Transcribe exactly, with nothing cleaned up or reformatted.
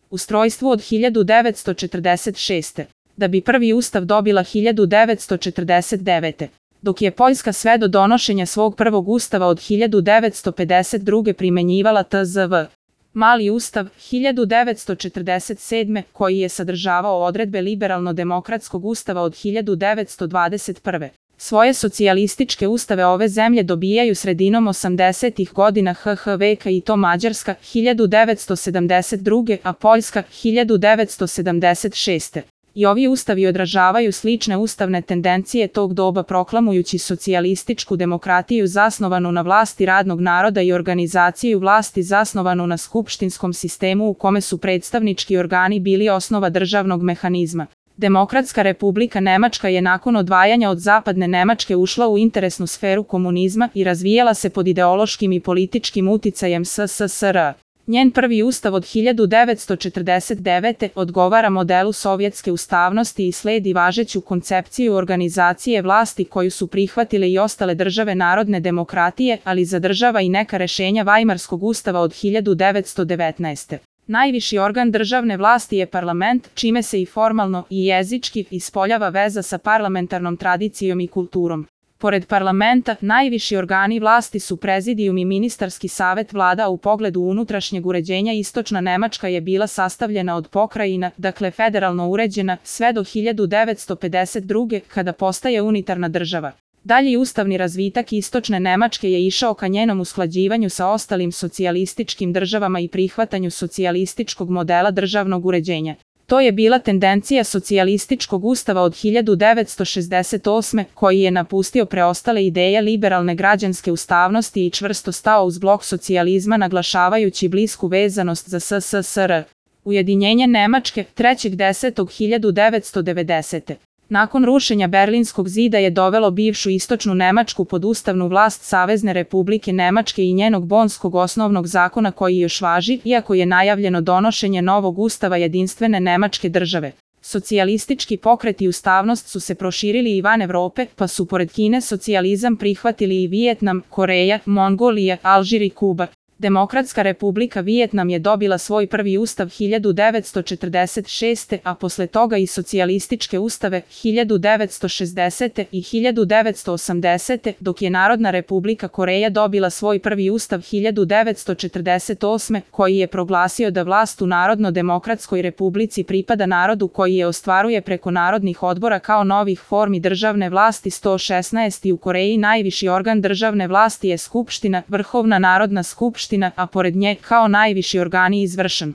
ustrojstvu od hiljadu devetsto četrdeset šeste. Da bi prvi ustav dobila hiljadu devetsto četrdeset devete. Dok je Poljska sve do donošenja svog prvog ustava od hiljadu devetsto pedeset druge primenjivala T Z V. Mali ustav hiljadu devetsto četrdeset sedme. koji je sadržavao odredbe liberalno-demokratskog ustava od hiljadu devetsto dvadeset prve. Svoje socijalističke ustave ove zemlje dobijaju sredinom osamdesetih godina H H veka i to Mađarska hiljadu devetsto sedamdeset druge. a Poljska hiljadu devetsto sedamdeset šeste. I ovi ustavi odražavaju slične ustavne tendencije tog doba proklamujući socijalističku demokratiju zasnovanu na vlasti radnog naroda i organizaciju vlasti zasnovanu na skupštinskom sistemu u kome su predstavnički organi bili osnova državnog mehanizma. Demokratska republika Nemačka je nakon odvajanja od zapadne Nemačke ušla u interesnu sferu komunizma i razvijala se pod ideološkim i političkim uticajem S S S R. Njen prvi ustav od hiljadu devetsto četrdeset devete. odgovara modelu sovjetske ustavnosti i sledi važeću koncepciju organizacije vlasti koju su prihvatile i ostale države narodne demokratije, ali zadržava i neka rešenja Vajmarskog ustava od hiljadu devetsto devetnaeste. Najviši organ državne vlasti je parlament, čime se i formalno i jezički ispoljava veza sa parlamentarnom tradicijom i kulturom. Pored parlamenta, najviši organi vlasti su prezidijum i ministarski savet vlada. U pogledu unutrašnjeg uređenja istočna Nemačka je bila sastavljena od pokrajina, dakle federalno uređena, sve do hiljadu devetsto pedeset druge. kada postaje unitarna država. Dalji ustavni razvitak istočne Nemačke je išao ka njenom usklađivanju sa ostalim socijalističkim državama i prihvatanju socijalističkog modela državnog uređenja. To je bila tendencija socijalističkog ustava od hiljadu devetsto šezdeset osme. koji je napustio preostale ideje liberalne građanske ustavnosti i čvrsto stao uz blok socijalizma naglašavajući blisku vezanost za S S S R. Ujedinjenje Nemačke trećeg desetog hiljadu devetsto devedesete. Nakon rušenja Berlinskog zida je dovelo bivšu istočnu Nemačku pod ustavnu vlast Savezne republike Nemačke i njenog Bonskog osnovnog zakona koji još važi, iako je najavljeno donošenje novog ustava jedinstvene Nemačke države. Socijalistički pokret i ustavnost su se proširili i van Evrope, pa su pored Kine socijalizam prihvatili i Vijetnam, Koreja, Mongolija, Alžir i Kuba. Demokratska republika Vijetnam je dobila svoj prvi ustav hiljadu devetsto četrdeset šeste. a posle toga i socijalističke ustave hiljadu devetsto šezdesete. i hiljadu devetsto osamdesete. dok je Narodna republika Koreja dobila svoj prvi ustav hiljadu devetsto četrdeset osme. koji je proglasio da vlast u Narodno-demokratskoj republici pripada narodu koji je ostvaruje preko narodnih odbora kao novih formi državne vlasti. sto šesnaest. u Koreji najviši organ državne vlasti je Skupština, Vrhovna narodna skupština, a pored nje kao najviši organi izvršan.